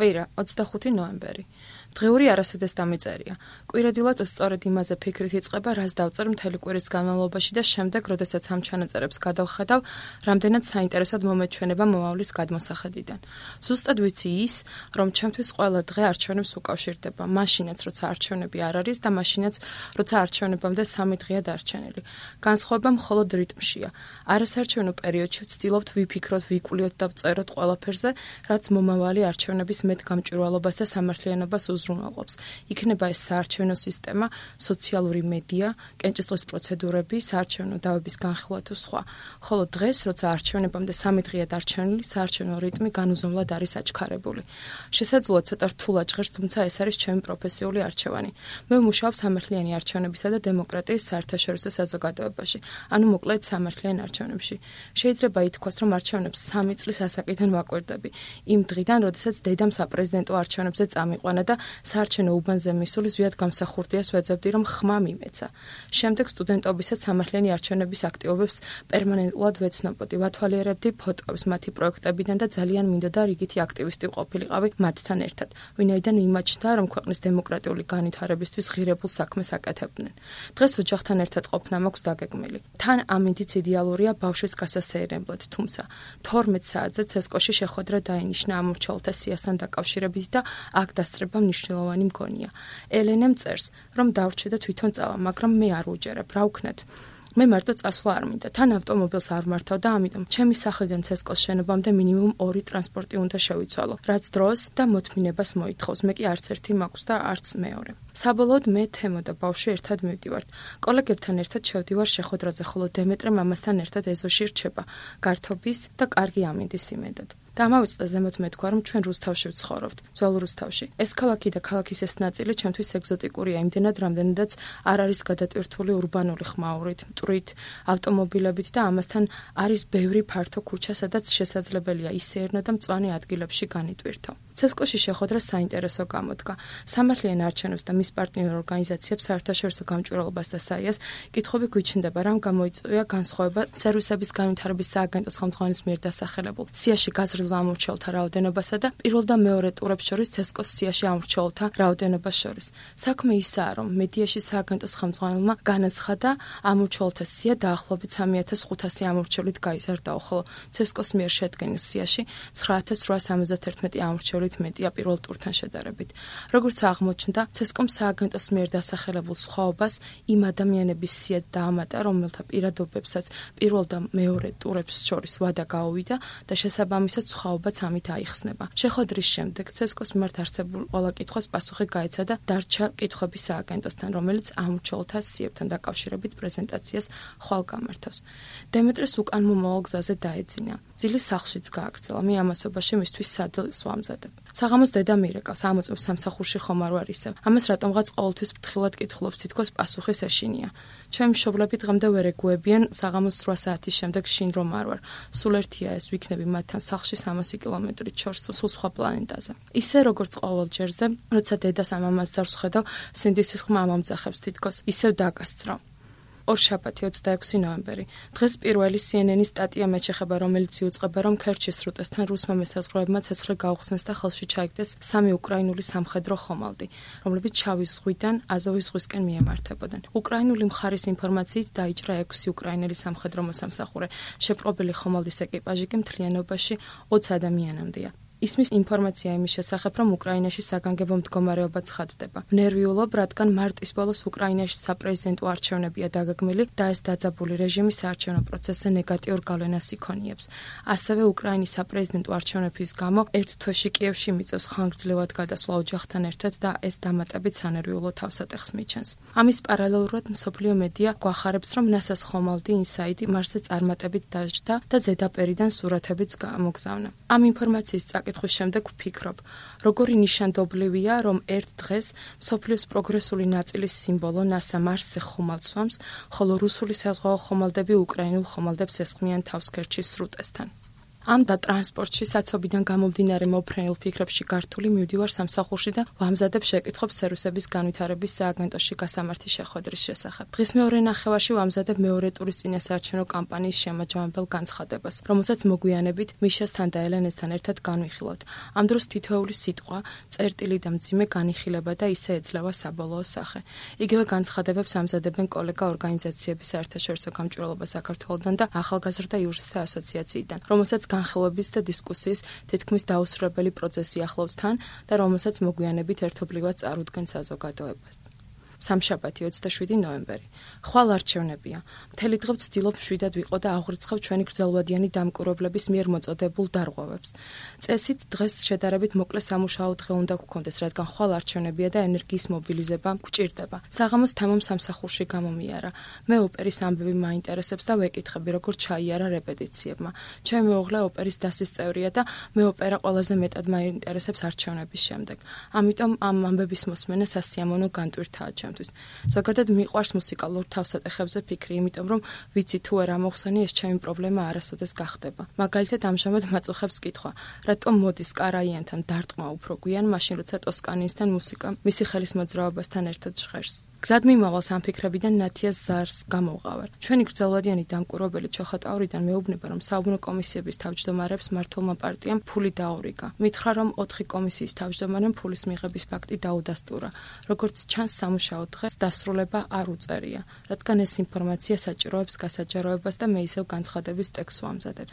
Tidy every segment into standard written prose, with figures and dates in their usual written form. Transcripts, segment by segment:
კვირა 25 ნოემბერი. დღეური არასოდეს დამიწერია. კვირადილად სწორედ იმაზე ფიქრით იწყება, რას დავწერ მთელი კვირის განმავლობაში და შემდეგ, როდესაც ამ ჩანაწერებს გადავხედავ, რამდენად საინტერესოდ მომეჩვენება მომავლის გადმოსახედიდან. ზუსტად ვიცი ის, რომ ჩემთვის ყველა დღე არჩევნებს უკავშირდება, მაშინაც როცა არჩევნები არ არის და მაშინაც როცა არჩევნებამდე 3 დღეა დარჩენილი. განსხვავება მხოლოდ რიტმშია. არასარჩევნო პერიოდში ვცდილობთ ვიფიქროთ, ვიკულიოთ და ვწეროთ ყველაფერზე, რაც მომავალი არჩევნების მეტ გამჭვირვალობას და სამართლიანობას უზრუნველყოფს. იქნება ეს საარჩევნო სისტემა, სოციალური მედია, კენჭისყრის პროცედურები, საარჩევნო დავების განხილვა თუ სხვა. ხოლო დღეს, როცა არჩევნებამდე 3 დღეა დარჩენილი, საარჩევნო რიტმი განუზომლად არის აჩქარებული. შესაძლოა ცოტა რთულად ჟღერს, თუმცა ეს არის ჩემი პროფესიული არჩევანი. მე ვმუშაობ სამართლიანი არჩევნებისა და დემოკრატიის საერთაშორისო საზოგადოებაში, ანუ მოკლედ სამართლიან არჩევნებში. შეიძლება ითქვას, რომ არჩევნებს 3 წლის ასაკიდან ვაკვირდები, იმ დღიდან, როდესაც დედამ საპრეზიდენტო არჩევნებზე წამიყვანა და საარჩევნო უბანზე მისული ზვიად გამსახურდიას ვეძებდი, რომ ხმა მიმეცა. შემდეგ სტუდენტობისას სამართლიანი არჩევნების აქტივობებს პერმანენტულად ვეცნობოდი, ვათვალიერებდი ფოტოებს მათი პროექტებიდან და ძალიან მინდოდა რიგითი აქტივისტი ყოფილიყავი მათთან ერთად, ვინაიდან მიმაჩნდა, რომ ქვეყნის დემოკრატიული განვითარებისთვის ღირებულ საქმეს აკეთებდნენ. დღეს ოჯახთან ერთად ყოფნა მაქვს დაგეგმილი. თან ამინდიც იდეალურია ბავშვის გასასეირნებლად, თუმცა 12 საათზე ცესკოში შეხვედრა დაინიშნა ამორჩეულთა სიასთან დაკავშირებით და აქ დასწრება მნიშვნელოვანი მგონია. ელენემ წერს, რომ დავრჩე და თვითონ წავა, მაგრამ მე არ ვუჯერებ, რა ვქნათ? მე მარტო წასვლა არ მინდა, თან ავტომობილს არ მართავ და ამიტომ ჩემი სახლიდან ცესკოს შენობამდე მინიმუმ 2 ტრანსპორტი უნდა შევიცვალო, რაც დროს და მოთმინებას მოითხოვს. მე კი არც ერთი მაქვს და არც მეორე. საბოლოოდ მე თემო და ბავშვი ერთად მივდივართ. კოლეგებთან ერთად შევდივარ შეხვედრაზე, ხოლო დემეტრე მამასთან ერთად ეზოში რჩება, გართობის და კარგი ამინდის იმედად. და ამავე ზემოთ მეთქვა, რომ ჩვენ რუსთავში ვცხოვრობთ, ძველ რუსთავში. ეს ქალაქი და ქალაქის ეს ნაწილი ჩემთვის ეგზოტიკურია, იმდენად, რამდენადაც არ არის გადატვირთული ურბანული ხმაურით, მტვრით, ავტომობილებით და ამასთან არის ბევრი ფართო ქუჩა, სადაც შესაძლებელია ისეირნო და მწვანე ადგილებში განიტვირთო. ცესკოში შეხვედრა საინტერესო გამოდგა. სამართლიან არჩევნებს და მის პარტნიორ ორგანიზაციებს საერთაშორისო გამჭვირვალობას და საიას კითხვები გვიჩნდება, რამ გამოიწვია განსხვავება სერვისების განვითარების სააგენტოს ხელმძღვანელის მიერ დასახელებულ სიაში გაზრდილ ამორჩეულთა რაოდენობასა და პირველ და მეორე ტურებს შორის ცესკოს სიაში ამორჩეულთა რაოდენობას შორის. საქმე ისაა, რომ მედიაში სააგენტოს ხელმძღვანელმა განაცხადა, ამორჩეულთა სია დაახლოებით 3500 ამორჩევლით გაიზარდა, ხოლო ცესკოს მიერ შედგენილ სიაში 9871 ამორჩევლით მეტია პირველ ტურთან შედარებით. როგორც აღმოჩნდა, ცესკომ სააგენტოს მიერ დასახელებულ სხვაობას იმ ადამიანების სია დაამატა, რომელთა პირადობებსაც პირველ და მეორე ტურებს შორის ვადა გაუვიდა და შესაბამისად სხვაობაც ამით აიხსნება. შეხვედრის შემდეგ ცესკოს მიმართ არსებულ ყველა კითხვას პასუხი გაეცა და დარჩა კითხვები სააგენტოსთან, რომელიც ამორჩეულთა სიებთან დაკავშირებით პრეზენტაციას ხვალ გამართავს. დემეტრეს უკან მომავალ გზაზე დაეძინა. ძილი სახლშიც გააგრძელა. მე ამასობაში მისთვის სადილს ვამზადებ. საღამოს დედა მირეკავს, ამოწმებს სამსახურში ხომ არ ვარ ისევ. ამას რატომღაც ყოველთვის ფრთხილად კითხულობს, თითქოს პასუხის ეშინია. ჩემი მშობლები დღემდე ვერ ეგუებიან საღამოს 8 საათის შემდეგ შინ რომ არ ვარ. სულ ერთია ეს, ვიქნები მათთან სახლში 300 კილომეტრით შორს თუ სულ სხვა პლანეტაზე. ისე როგორც ყოველ ჯერზე, როცა დედას ამამას ზარს ხედავ, სინდისის ხმა ამამძახებს თითქოს ისევ დაგასწრო. ორშაბათი 26 ნოემბერი. დღეს პირველი CNN-ის სტატია მეჩეხება, რომელიც იუწყება, რომ ქერჩის სრუტესთან რუსმა მესაზღვროებმა ცეცხლი გაუხსნეს და ხელში ჩაიგდეს 3 უკრაინული სამხედრო ხომალდი, რომლებიც შავის ზღვიდან აზოვის ზღვისკენ მიემართებოდნენ. უკრაინული მხარის ინფორმაციით დაიჭრა 6 უკრაინელი სამხედრო მოსამსახურე. შეპყრობილი ხომალდის ეკიპაჟი კი მთლიანობაში 20 ადამიანამდეა. ისმის ინფორმაცია იმის შესახებ, რომ უკრაინაში საგანგებო მდგომარეობა ცხადდება. ნერვიულობ, რადგან მარტის ბოლოს უკრაინაში საპრეზიდენტო არჩევნებია დაგეგმილი და ეს დაძაბული რეჟიმი საარჩევნო პროცესზე ნეგატიურ გავლენას იქონიებს. ასევე უკრაინის საპრეზიდენტო არჩევნების გამო ერთ თვეში კიევში მიწევს ხანგრძლივად გადასვლა ოჯახთან ერთად და ეს დამატებით სანერვიულო თავსატეხს მიჩენს. ამის პარალელურად მსოფლიო მედია გვახარებს, რომ NASA-ს ხომალდი ინსაიდი მარსზე წარმატებით დაჯდა და ზედაპირიდან სურათებიც გამოგზავნა. ამ ინფორმაციის კითხვის შემდეგ ვფიქრობ, როგორი ნიშანდობლივია, რომ ერთ დღეს მსოფლიოს პროგრესული ნაწილის სიმბოლო NASA მარსზე ხომალდს სვამს, ხოლო რუსული საზღვაო ხომალდები უკრაინულ ხომალდებს ესხმიან თავს ქერჩის სრუტესთან. ამ და ტრანსპორტში საცობიდან გამომდინარე მოფრენილ ფიქრებში გართული მივდივარ სამსახურში და ვამზადებ შეკითხვებს სერვისების განვითარების სააგენტოში გასამართი შეხვედრის შესახებ. დღის მეორე ნახევარში ვამზადებ მეორე ტურის წინასაარჩევნო კამპანიის შემაჯამებელ განცხადებას, რომელსაც მოგვიანებით მიშასთან და ელენესთან ერთად განვიხილავთ. ამ დროს თითოეული სიტყვა, წერტილი და მძიმე განიხილება და ისე ეძლევა საბოლოო სახე. იგივე განცხადებებს ამზადებენ კოლეგა ორგანიზაციების საერთაშორისო გამჭვირვალობა საქართველოდან და ახალგაზრდა იურისტთა ასოციაციიდან, რომელსაც განხილვების და დისკუსიის თითქმის დაუსრულებელი პროცესი ახლავს თან და რომელსაც მოგვიანებით ერთობლივად წარუდგენ საზოგადოებას. სამშაბათი 27 ნოემბერი. ხვალ არჩევნებია. მთელი დღე ვცდილობ მშვიდად ვიყო და აღვრიცხავ ჩვენი გრძელვადიანი დამკვირვებლების მიერ მოწოდებულ დარღვევებს. წესით დღეს შედარებით მოკლე სამუშაო დღე უნდა გქონდეს, რადგან ხვალ არჩევნებია და ენერგიის მობილიზება გვჭირდება. საღამოს თამამ სამსახურში გამომიარა. მე ოპერის ამბები მაინტერესებს და ვეკითხები, როგორ ჩაიარა რეპეტიციებმა. ჩემი მეუღლე ოპერის დასის წევრია და მე ოპერა ყველაზე მეტად მაინტერესებს არჩევნების შემდეგ. ამიტომ ამ ამბების მოსმენა სასიამოვნო განტვირთაა. ზოგადად მიყვარს მუსიკალურ თავსატეხებზე ფიქრი, იმიტომ რომ ვიცი თუ არ ამოხსენი ეს ჩემი პრობლემა არასოდეს გახდება. მაგალითად ამჟამად მაწუხებს კითხვა, რატომ მოდის კარაიანთან დარტყმა უფრო გვიან, მაშინ როცა ტოსკანინსთან მუსიკა მისი ხელის მოძრაობასთან ერთად ჟღერს. გზად მიმავალს ამ ფიქრებიდან ნათიას ზარს გამოვყავარ. ჩვენი გრძელვადიანი დამკვირვებელი ჩოხატაურიდან მეუბნება, რომ საუბნო კომისიების თავმჯდომარებს მმართველმა პარტიამ ფული დაურიგა. მითხრა, რომ 4 კომისიის თავმჯდომარემ ფულის მიღების ფაქტი დაუდასტურა. როგორც ჩანს, სამუშაო დღეს დასრულება არ უწერია, რადგან ეს ინფორმაცია საჭიროებს გასაჯაროებას და მე ისევ განცხადების ტექსტს ვამზადებ.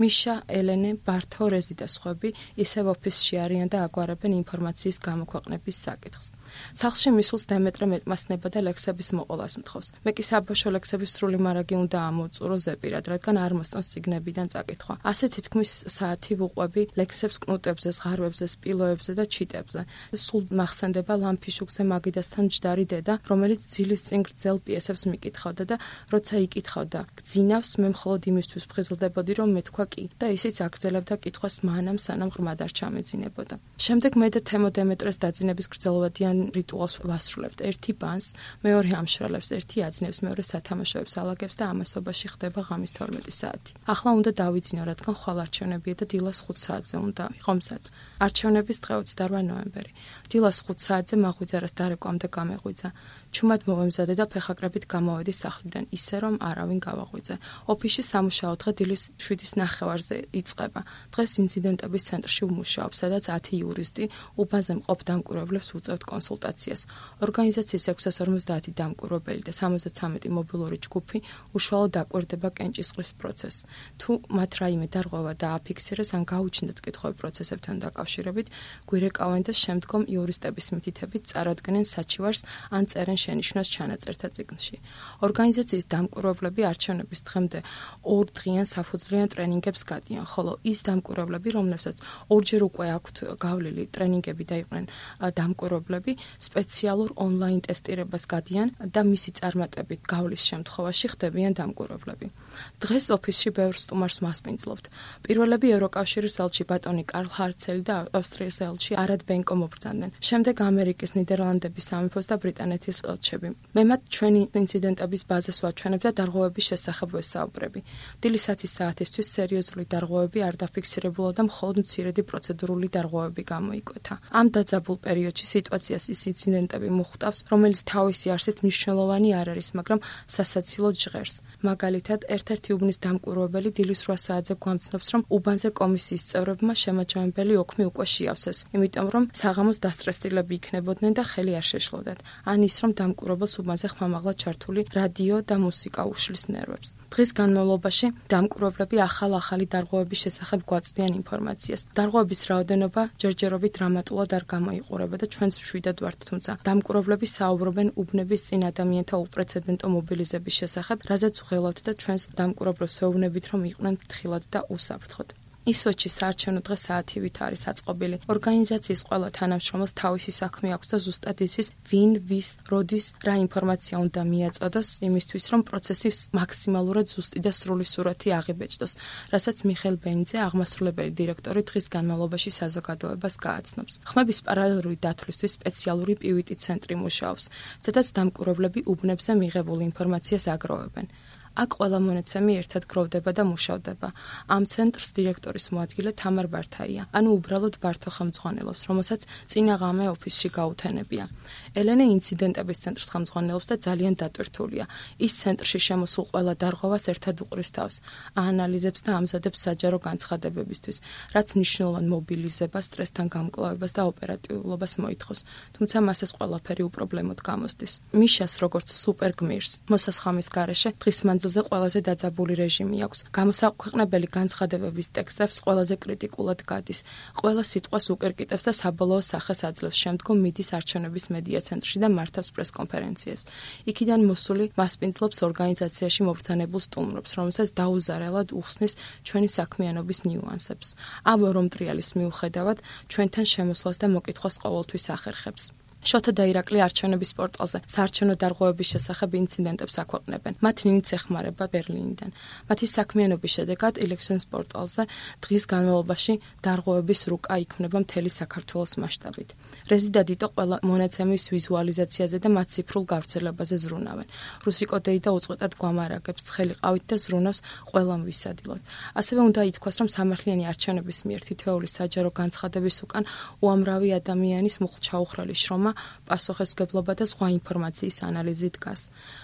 მიშა, ელენე, ბართო, რეზი და სხვები ისევ ოფისში არიან და აგვარებენ ინფორმაციის გამოქვეყნების საკითხს. სახლში მისულს დამეტრე მეტმასნება და ლექსების მოყოლას მთხოვს. მე კი საბავშვო ლექსების სრული მარაგი უნდა ამოვწურო ზეპირად, რადგან არ მოსწონს წიგნებიდან წაკითხვა. ასე თითქმის საათი ვუყვები ლექსებს კნუტებზე, ზღარბებზე, სპილოებზე და ჩიტებზე. სულ მახსენდება ლამფიშუქზე მაგიდასთან მჯდარი დედა, რომელიც ძილის წინ გრძელ პიესებს მიკითხავდა და როცა იკითხავდა გძინავს, მე მხოლოდ იმისთვის ვხიზლდებოდი, რომ მეთქვა კი და ისიც აგრძელებდა კითხვას მანამ, სანამ ღრმად არ ჩამეძინებოდა. შემდეგ მე და თემო დემეტრეს დაძინების გრძელვადიან რიტუალს ვასრულებთ. ერთი ბანს, მეორე ამშრალებს, ერთი აძნევს, მეორე სათამაშოებს ალაგებს და ამასობაში ხდება ღამის 12 საათი. ახლა უნდა დავიძინო, რადგან ხვალ არჩევნებია და დილას 5 საათზე უნდა ვიყო მზად. არჩევნების დღე 28 ნოემბერი. დილას 5 საათზე მაღვიძარას დარეკვამდე გამეღვიძა. ჩუმად მოვემზადე და ფეხაკრებით გამოვედი სახლიდან, ისე რომ არავინ გავაღვიძე. ოფისში სამუშაო დღე დილის 7:30-ზე იწყება. დღეს ინციდენტების ცენტრში ვმუშაობ, სადაც 10 იურისტი უბანზე მყოფ დამკვირვებლებს უწევთ კონსულტაციას. ორგანიზაციის 650 დამკვირვებელი და 73 მობილური ჯგუფი უშუალოდ აკვირდება კენჭისყრის პროცესს. თუ მათ რაიმე დარღვევა დააფიქსირეს ან გაუჩნდათ კითხვები პროცესებთან დაკავშირებით, გვირეკავენ და შემდგომ იურისტების მითითებით წარადგენენ საჩივარს ან წერენ შენიშვნას ჩანაწერთა წიგნში. ორგანიზაციის დამკვირვებლები არჩევნების დღემდე 2 დღიან საფუძვლიან ტრენინგებს გადიან, ხოლო ის დამკვირვებლები, რომლებსაც ორჯერ უკვე აქვთ გავლილი ტრენინგები და იყვნენ დამკვირვებლები, სპეციალურ ონლაინ ტესტირებას გადიან და მისი წარმატებით გავლის შემთხვევაში ხდებიან დამკვირვებლები. დღეს ოფისში ბევრ სტუმარს მასპინძლობთ. პირველები ევროკავშირის ელჩი ბატონი კარლ ჰარცელი და ავსტრიის ელჩი არად ბენკო მობრძანდნენ. შემდეგ ამერიკის, ნიდერლანდების სამეფოს და ბრიტანეთის ელჩები. მე მათ ჩვენი ინციდენტების ბაზას ვაჩვენებ და დარღვევების შესახებ ვესაუბრები. დილის 10 საათისთვის სერიოზული დარღვევები არ დაფიქსირებულა და მხოლოდ მცირედი პროცედურული დარღვევები გამოიკვეთა. ამ დაძაბულ პერიოდში სიტუაციას ის ინციდენტები მოხვდავს, რომელიც თავისი არსით მნიშვნელოვანი არ არის, მაგრამ სასაცილოდ ჟღერს. მაგალითად, ერთ-ერთი უბნის დამკვირვებელი დილის 8 საათზე გვამცნობს, რომ უბანზე კომისიის წევრებმა შემაჯამებელი ოქმი უკვე შეავსეს, იმიტომ რომ საღამოს დასტრესილები იქნებოდნენ და ხელი არ შეშლოდათ. ან ის რომ დამკვირვებელს უბანზე ხმამაღლა ჩართული რადიო და მუსიკა უშლის ნერვებს. დღის განმავლობაში დამკვირვებლები ახალი დარღვევების შესახებ გვაწვდიან ინფორმაციას. დარღვევების რაოდენობა ჯერჯერობით დრამატულად არ გამოიყურება და ჩვენც მშვიდად ვართ, თუმცა დამკვირვებლები საუბრობენ უბნების წინ ადამიანთა უპრეცედენტო მობილიზების შესახებ, რაზეც ვღელავთ და ჩვენს დამკვირვებლებს ვეუბნებით, რომ იყვნენ ფრთხილად და უსაფრთხოდ. ისვეთში საარჩევნო დღე საათივით არის აწყობილი. ორგანიზაციის ყველა თანამშრომელს თავისი საქმე აქვს და ზუსტად იცის, ვინ, ვის, როდის, რა ინფორმაცია უნდა მიაწოდოს იმისთვის, რომ პროცესის მაქსიმალურად ზუსტი და სრული სურათი აღიბეჭდოს, რასაც მიხეილ ბენიძე, აღმასრულებელი დირექტორი დღის განმავლობაში საზოგადოებას გააცნობს. ხმების პარალელური დათვლისთვის სპეციალური პივიტი ცენტრი მუშაობს, სადაც დამკვირვებლები უბნებზე მიღებულ ინფორმაციას აგროვებენ. აქ ყველა მონაცემი ერთად გროვდება და მუშავდება. ამ ცენტრს დირექტორის მოადგილე თამარ ბართაია, ანუ უბრალოდ ბართო ხელმძღვანელობს, რომელსაც წინა ღამე ოფისში გაუთენებია. ელენე ინციდენტების ცენტრს ხელმძღვანელობს და ძალიან დატვირთულია. ის ცენტრში შემოსულ ყველა დარღვევას ერთად უყრის თავს, აანალიზებს და ამზადებს საჯარო განცხადებებისთვის, რაც მნიშვნელოვან მობილიზებას, სტრესთან გამკლავებას და ოპერატიულობას მოითხოვს, თუმცა მას ეს ყველაფერი უპრობლემოდ გამოსდის. მიშას როგორც სუპერ გმირს, მოსასხამის გარეშე დღის მანძილზე ყველაზე დაძაბული რეჟიმი აქვს. გამოსაქვეყნებელი განცხადებების ტექსტებს ყველაზე კრიტიკულად გადის. ყველა სიტყვას უკირკიტებს და საბოლოო სახეს აძლევს. შემდგომ მიდის არჩევნების მედია ცენტრში და მართავს პრესკონფერენციას. იქიდან მოსული მასპინძლობს ორგანიზაციაში მობრძანებულ სტუმრებს, რომელსაც დაუზარალად უხსნის ჩვენი საქმიანობის ნიუანსებს. ამ ორი მტრიალის მიუხედავად, ჩვენთან შემოსვლას და მოკითხვას ყოველთვის ახერხებს. შოთა და ირაკლი არჩევნების პორტალზე საარჩევნო დარღვევების შესახებ ინციდენტებს აქვეყნებენ. მათ ნინიც ეხმარება ბერლინიდან. მათი საქმიანობის შედეგად Elections პორტალზე დღის განმავლობაში დარღვევების რუკა იქმნება მთელი საქართველოს მასშტაბით. რეზიდა დიტო ყველა მონაცემის ვიზუალიზაციაზე და მათ ციფრულ გავრცელებაზე ზრუნავენ. რუსი კოდეი და უწყვეტად გვამარაგებს ცხელი ყავით და ზრუნავს ყველამ ვისადილოთ. ასევე უნდა ითქვას, რომ სამართლიანი არჩევნების მიერ თითოეული საჯარო განცხადების უკან უამრავი ადამიანის მუხლჩაუხრელი შრომა, პასუხისმგებლობა და სხვა ინფორმაციის ანალიზი დგას.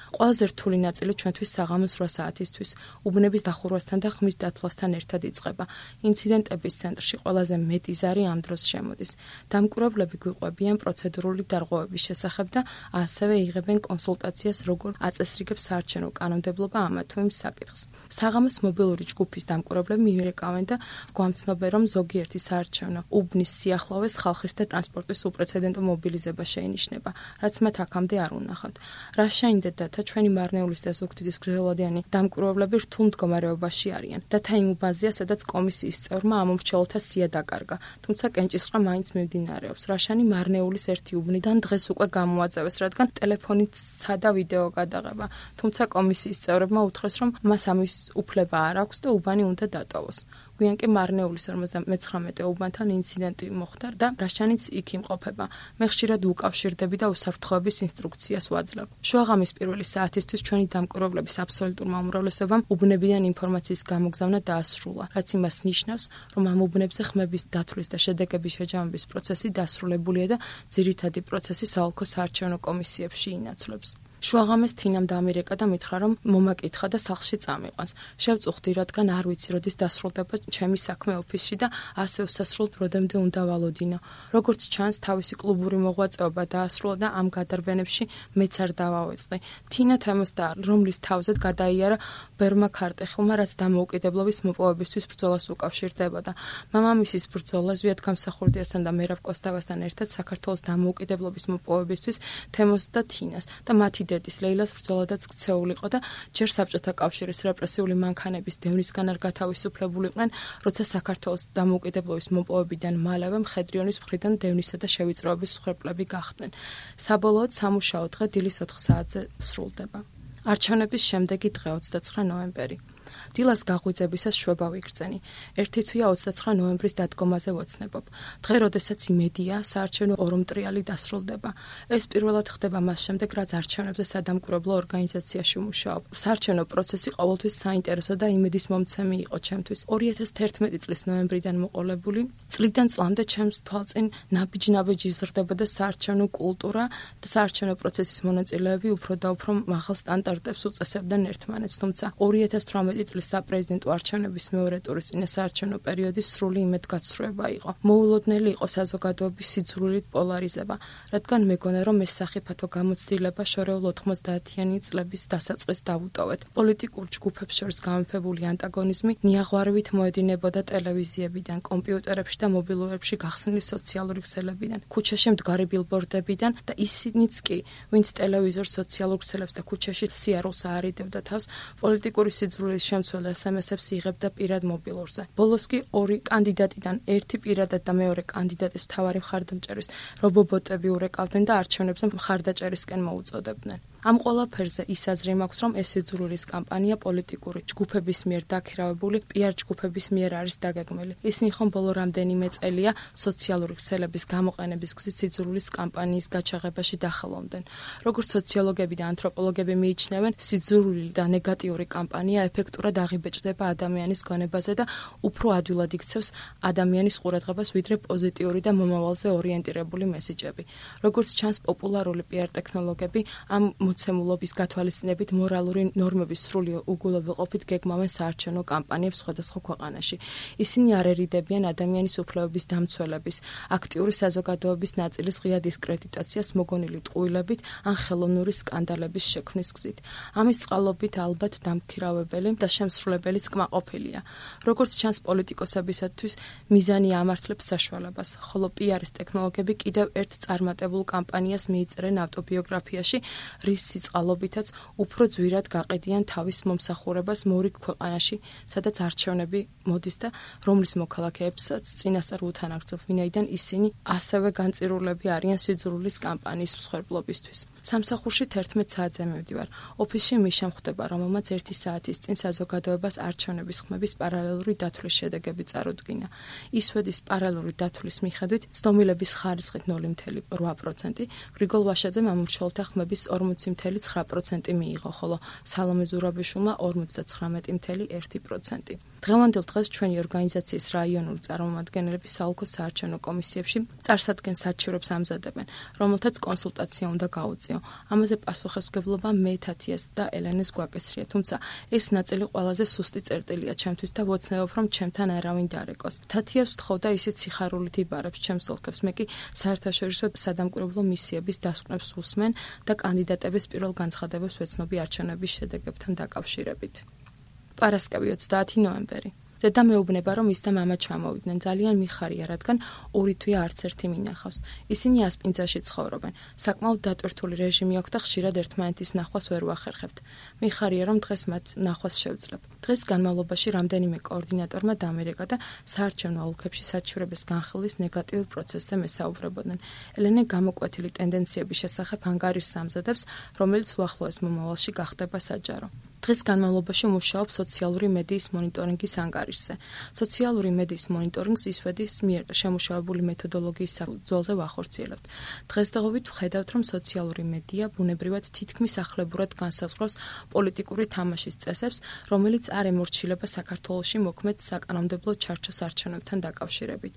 ყველაზე რთული ნაწილი ჩვენთვის საღამოს 8 საათისთვის უბნების დახურვასთან და ხმის დათვლასთან ერთად იწყება. ინციდენტების ცენტრში ყველაზე მეტი ზარი ამ დროს შემოდის. დამკვირვებლები გვიყვებიან პროცედურული დარღვევების შესახებ და ასევე იღებენ კონსულტაციას, როგორ აწესრიგებს საარჩევნო კანონმდებლობა ამა თუ იმ საკითხს. საღამოს მობილური ჯგუფის დამკვირვებლები მიირეკავენ და გვამცნობენ, რომ ზოგიერთი საარჩევნო უბნის სიახლოვეს ხალხის და ტრანსპორტის უპრეცედენტო მობილიზება შეინიშნება, რაც მათ აქამდე არ უნახავთ. რა შეინდეთ და ჩვენი მარნეულის და ზუგდიდის გრძელვადიანი დამკვირვებლები რთულ მდგომარეობაში არიან. დათა იმ უბანზეა, სადაც კომისიის წევრმა ამომრჩეველთა სია დაკარგა, თუმცა კენჭისყრა მაინც მიმდინარეობს. რაშანი მარნეულის ერთი უბნიდან დღეს უკვე გამოაწევეს, რადგან ტელეფონით სცადა ვიდეო გადაღება, თუმცა კომისიის წევრებმა უთხრეს, რომ მას ამის უფლება არ აქვს და უბანი უნდა დატოვოს. გვიან კი მარნეულის 59 უბანთან ინციდენტი მოხდა და რაშანიც იქ იმყოფება. მე ხშირად უკავშირდები და უსაფრთხოების ინსტრუქციას ვაძლევ. შუაღამის პირველი საათისთვის ჩვენი დამკვირვებლების აბსოლუტურმა უმრავლესობამ უბნებიდან ინფორმაციის გამოგზავნა დაასრულა, რაც იმას ნიშნავს, რომ ამ უბნებზე ხმების დათვლის და შედეგების შეჯამების პროცესი დასრულებულია და ძირითადი პროცესი საოლქო საარჩევნო კომისიებში ინაცვლებს. შუაღამეს თინამ დამირეკა და მითხრა, რომ მომაკითხა და სახლში წამიყვანს. შევწუხდი, რადგან არ ვიცი, როდის დასრულდება ჩემი საქმე ოფისში და ასე უსასრულოდ როდემდე უნდა ვალოდინო. როგორც ჩანს, თავისი კლუბური მოღვაწეობა დაასრულა და ამ გადარბენებში მეც არ დავავიწყდი. თინა თემოსდა, რომლის თავზედ გადაიარა ბერმა ქარტეხილმა, რაც დამოუკიდებლობის მოპოვებისთვის ბრძოლას უკავშირდებოდა. მამამისის ბრძოლა ზვიად გამსახურდიასთან და მერაბ კოსტავასთან ერთად საქართველოს დამოუკიდებლობის მოპოვებისთვის თემოსდა თინას და მათი დედის ლეილას ბრძოლადაც ქცეულიყო და ჯერ საბჭოთა კავშირის რეპრესიული მანქანების დევნისგან არ გათავისუფლებულიყვნენ, როცა საქართველოს დამოუკიდებლობის მოპოვებიდან მალევე მხედრიონის მხრიდან დევნისა და შევიწროების მსხვერპლები გახდნენ. საბოლოოდ სამუშაო დღე დილის 4 საათზე სრულდება. არჩევნების შემდეგი დღე 29 ნოემბერი. დილას გაღვიძებისას შვება ვიგრძენი. ერთი თვეა 29 ნოემბრის დადგომაზე ვოცნებობ. დღე, როდესაც იმედია, საარჩევნო ორომტრიალი დასრულდება. ეს პირველად ხდება მას შემდეგ, რაც არჩევნებზე სადამკვირვებლო ორგანიზაციაში ვმუშაობ. საარჩევნო პროცესი ყოველთვის საინტერესო და იმედის მომცემი იყო ჩემთვის. 2011 წლის ნოემბრიდან მოყოლებული, წლიდან წლამდე ჩემს თვალწინ ნაბიჯ-ნაბიჯ იზრდებოდა საარჩევნო კულტურა და საარჩევნო პროცესის მონაწილეები უფრო და უფრო მაღალ სტანდარტებს უწესებდნენ ერთმანეთს, თუმცა 2018 წლის საპრეზიდენტო არჩევნების მეორე ტურის წინა საარჩევნო პერიოდის სრული იმედგაცრუება იყო. მოულოდნელი იყო საზოგადოების სიძულვილით პოლარიზება, რადგან მეგონა, რომ ეს სახიფათო გამოცდილება შორეულ 90-იანი წლების დასაწყისს დავუტოვეთ. პოლიტიკურ ჯგუფებს შორის გამეფებული ანტაგონიზმი ნიაღვარევით მოედინებოდა ტელევიზიებიდან, კომპიუტერებში და მობილურებში გახსნილი სოციალური ქსელებიდან, ქუჩაში მდგარი ბილბორდებიდან და ისინიც კი, ვინც ტელევიზორ, სოციალურ ქსელებს და ქუჩაში სიარულს აარიდებდა თავს, პოლიტიკური სიძულვილის შემცველ SMS-ებს იღებდა პირად მობილურზე. ბოლოს კი ორი კანდიდატიდან ერთი პირადად და მეორე კანდიდატის მთავარი მხარდამჭერის რობობოტები ურეკავდნენ და არჩევნებზე მხარდაჭერისკენ მოუწოდებდნენ. ამ ყველაფერზე ის აზრი მაქვს, რომ ეს სიძულვილის კამპანია პოლიტიკური ჯგუფების მიერ დაქირავებული პიარ ჯგუფების მიერ არის დაგეგმილი. ისინი ხომ ბოლო რამდენიმე წელია სოციალური ქსელების გამოყენების გზით სიძულვილის კამპანიის გაჩაღებაში დახელოვნდნენ. როგორც სოციოლოგები და ანთროპოლოგები მიიჩნევენ, სიძულვილი და ნეგატიური კამპანია ეფექტურად აღიბეჭდება ადამიანის გონებაზე და უფრო ადვილად იქცევს ადამიანის ყურადღებას, ვიდრე პოზიტიური და მომავალზე ორიენტირებული მესიჯები. როგორც ჩანს, პოპულარული პიარ ტექნოლოგები ამ მოცემულობის გათვალისწინებით მორალური ნორმების სრული უგულებელყოფით გეგმავენ საარჩევნო კამპანიებს სხვადასხვა ქვეყანაში. ისინი არ ერიდებიან ადამიანის უფლებების დამცველების, აქტიური საზოგადოების ნაწილის ღია დისკრედიტაციას მოგონილი ტყუილებით ან ხელოვნური სკანდალების შექმნის გზით. ამის წყალობით ალბათ დამქირავებელი და შემსრულებელიც კმაყოფილია. როგორც ჩანს, პოლიტიკოსებისათვის მიზანი ამართლებს საშუალებას, ხოლო პიარის ტექნოლოგები კიდევ ერთ წარმატებულ კამპანიას მიიწერენ ავტობიოგრაფიაში, რის სიწყალობითაც უფრო ძვირად გაყიდიან თავის მომსახურებას მორიგ ქვეყანაში, სადაც არჩევნები მოდის და რომლის მოქალაქეებსაც წინასწარ უთანაგრძობ, ვინაიდან ისინი ასევე განწირულები არიან სიძულვილის კამპანიის მსხვერპლობისთვის. სამსახურში 11 საათზე მივდივარ. ოფისში მიშამ ხვდება, რომელმაც 1 საათის წინ საზოგადოებას არჩევნების ხმების პარალელური დათვლის შედეგები წარუდგინა. ის ვედის პარალელური დათვლის მიხედვით ცდომილების ხარისხით 0.8%, გრიგოლ ვაშაძემ ამორჩეულთა ხმების 40.9% მიიღო, ხოლო სალომე ზურაბიშვილმა 59.1%. დღევანდელ დღეს ჩვენი ორგანიზაციის რაიონული წარმომადგენლები საოლქო საარჩევნო კომისიებში წარსადგენ საჩივრებს ამზადებენ, რომელთაც კონსულტაცია უნდა გაუწიო. ამაზე პასუხისმგებლობა მე თათიას და ელენეს გვაკისრია, თუმცა ეს ნაწილი ყველაზე სუსტი წერტილია ჩემთვის და ვოცნებობ, რომ ჩემთან არავინ დარეკოს. თათიას ვთხოვდა ისიც სიხარულით იბარებს ჩემს ოლქებს, მე კი საერთაშორისო სადამკვირვებლო მისიების დასკვნებს უსმენ და კანდიდატების პირველ განცხადებებს ვეცნობი არჩევნების შედეგებთან დაკავშირებით. პარასკევი 30 ნოემბერი. დედა მეუბნება, რომ ის და მამა ჩამოვიდნენ. ძალიან მიხარია, რადგან ორი თვე არც ერთი მინახავს. ისინი ასპინძაში ცხოვრობენ. საკმაოდ დატვირთული რეჟიმი აქვს და ხშირად ერთმანეთის ნახვას ვერ ვახერხებთ. მიხარია, რომ დღეს მათ ნახვას შევძლებ. დღეს განმავლობაში რამდენიმე კოორდინატორმა დამერეკა და საარჩევნო ოლქებში საჩივრების განხილვის ნეგატიურ პროცესზე მესაუბრებოდნენ. ელენე გამოკვეთილი ტენდენციების შესახებ ანგარიშს ამზადებს, რომელიც უახლოეს მომავალში გახდება საჯარო. დღეს განმავლობაში მუშაობ სოციალური მედიის მონიტორინგის ანგარიშზე. სოციალური მედიის მონიტორინგს ისვედის მიერ შემუშავებული მეთოდოლოგიის საფუძველზე ვახორციელებთ. დღესდღეობით ვხედავთ, რომ სოციალური მედია ბუნებრივად თითქმის ახლებურად განსაზღვრავს პოლიტიკური თამაშის წესებს, რომელიც არ ემორჩილება საქართველოში მოქმედ საკანონმდებლო ჩარჩოს არჩევნებთან დაკავშირებით.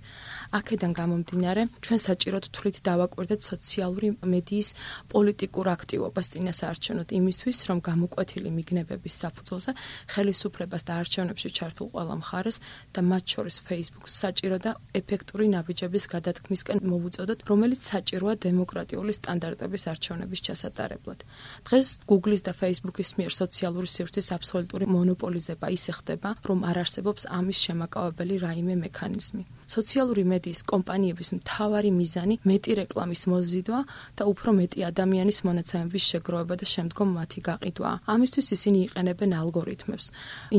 აქედან გამომდინარე, ჩვენ საჭიროდ თვლით დავაკვირდეთ სოციალური მედიის პოლიტიკურ აქტივობას წინასაარჩევნოდ იმისთვის, რომ გამოკვეთილი მიგნები საფუძველზე ხელისუფლებას და არჩევნებში ჩართულ ყველა მხარეს და მათ შორის Facebook-ს საჭირო და ეფექტური ნაბიჯების გადადგმისკენ მოვუწოდოთ, რომელიც საჭიროა დემოკრატიული სტანდარტების არჩევნების ჩასატარებლად. დღეს Google-ის და Facebook-ის მიერ სოციალური სივრცის აბსოლუტური მონოპოლიზება ისე ხდება, რომ არ არსებობს ამის შემაკავებელი რაიმე მექანიზმი. სოციალური მედიის კომპანიების მთავარი მიზანი მეტი რეკლამის მოზიდვა და უფრო მეტი ადამიანის მონაცემების შეგროვება და შემდგომ მათი გაყიდვაა. ამისთვის ისინი იყენებენ ალგორითმებს,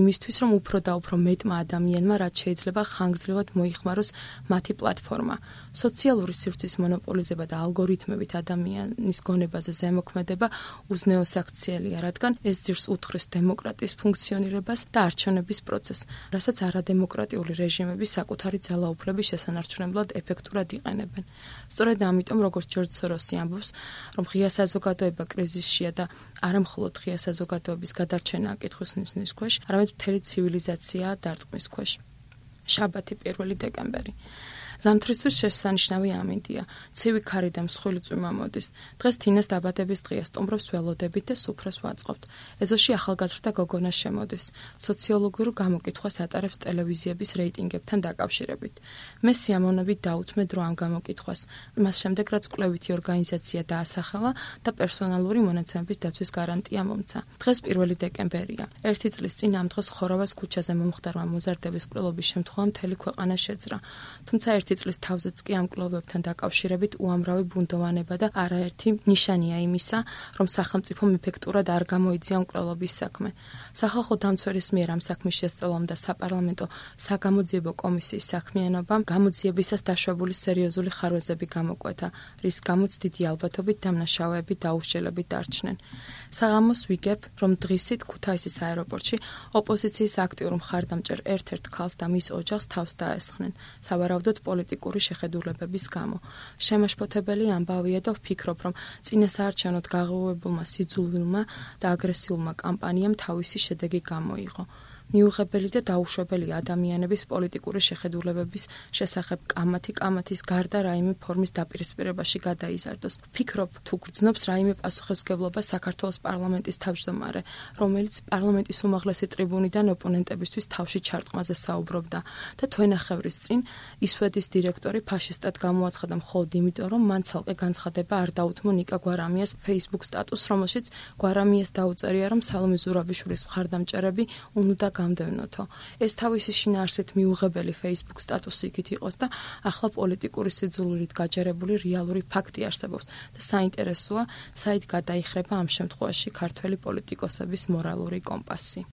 იმისთვის, რომ უფრო და უფრო მეტმა ადამიანმა რაც შეიძლება ხანგრძლივად მოიხმაროს მათი პლატფორმა. სოციალური სივრცის მონოპოლიზება და ალგორითმებით ადამიანის გონებაზე ზემოქმედება უზნეოსაქციელია, რადგან ეს ძირს უთხრის დემოკრატიის ფუნქციონირებას და არჩევნების პროცესს, რასაც არადემოკრატიული რეჟიმები საკუთარი ძალაუფლების შესანარჩუნებლად ეფექტურად იყენებენ. სწორედ ამიტომ, როგორც ჯორჯ სოროსი ამბობს, რომ ღია საზოგადოება კრიზისშია და არა მხოლოდ ღია საზოგადოების გადარჩენაა კითხვის ნისლის ქვეშ, არამედ მთელი ცივილიზაციაა დარტყმის ქვეშ. შაბათი 1 დეკემბერი. ზამთრისთვის შესანიშნავი ამინდია. ცივი ქარი და მსხვილი წვიმა მოდის. დღეს თინას დაბადების დღეა, სტუმრებს ველოდებით და სუფრას ვაწყობთ. ეზოში ახალგაზრდა გოგონა შემოდის. სოციოლოგიურ გამოკითხვას ატარებს ტელევიზიების რეიტინგებთან დაკავშირებით. მე სიამოვნებით დაუთმე დრო ამ გამოკითხვას. მას შემდეგ რაც კვლევითი ორგანიზაცია დაასახელა და პერსონალური მონაცემების დაცვის გარანტია მომცა. დღეს 1 დეკემბერია. ერთი წლის წინ ამ დღეს ხორავას ქუჩაზე მომხდარმა მოზარდების კვლელობის შემთხვევა მთელი ქვეყანა შეძრა. თუმცა ერთი წლის თავზეც კი ამ კვლევებთან დაკავშირებით უამრავი ბუნდოვანება და არაერთი ნიშანია იმისა, რომ სახელმწიფომ ეფექტურად არ გამოიძია ამ კვლევების საქმე. სახალხო დამცველის მიერ ამ საქმის შესწავლამ და საპარლამენტო საგამოძიებო კომისიის საქმიანობამ გამოძიებისას დაშვებული სერიოზული ხარვეზები გამოკვეთა, რის გამოც დიდი ალბათობით დამნაშავეები დაუსჯელებით დარჩნენ. საღამოს ვიგებ, რომ დღისით ქუთაისის აეროპორტში ოპოზიციის აქტიურ მხარდამჭერ ერთ-ერთ ქალს და მის ოჯახს თავს დაესხნენ, სავარაუდოდ პოლიტიკური შეხედულებების გამო. შემაშფოთებელი ამბავია და ვფიქრობ, რომ წინასაარჩევნოდ გაღუვებულმა სიძულვილმა და აგრესიულმა კამპანიამ თავისი შედეგი გამოიღო. მიუღებელი და დაუშვებელი ადამიანების პოლიტიკური შეხედულებების შესახებ კამათის გარდა რაიმე ფორმის დაპირისპირებაში გადაიზარდოს. ვფიქრობ, თუ გრძნობს რაიმე პასუხისმგებლობა საქართველოს პარლამენტის თავმჯდომარე, რომელიც პარლამენტის უმაღლესი ტრიბუნიდან ოპონენტებისთვის თავში ჩარტყმაზე საუბრობდა და თვენახევრის წინ ისვედის დირექტორი ფაშისტად გამოაცხადა მხოლოდ იმიტომ, რომ მან ცალკე განცხადება არ დაუთმო ნიკა გვარამიას Facebook სტატუსს, რომელშიც გვარამიას დაუწერია, რომ სალომე ზურაბიშვილის მხარდამჭერები უნდა გამდევნოთო. ეს თავისი შინაარსით მიუღებელი Facebook სტატუსი იქით იყოს და ახლა პოლიტიკური სიძულვილით გაჯერებული რეალური ფაქტი არსებობს და საინტერესოა, საით გადაიხრება ამ შემთხვევაში ქართველი პოლიტიკოსების მორალური კომპასი.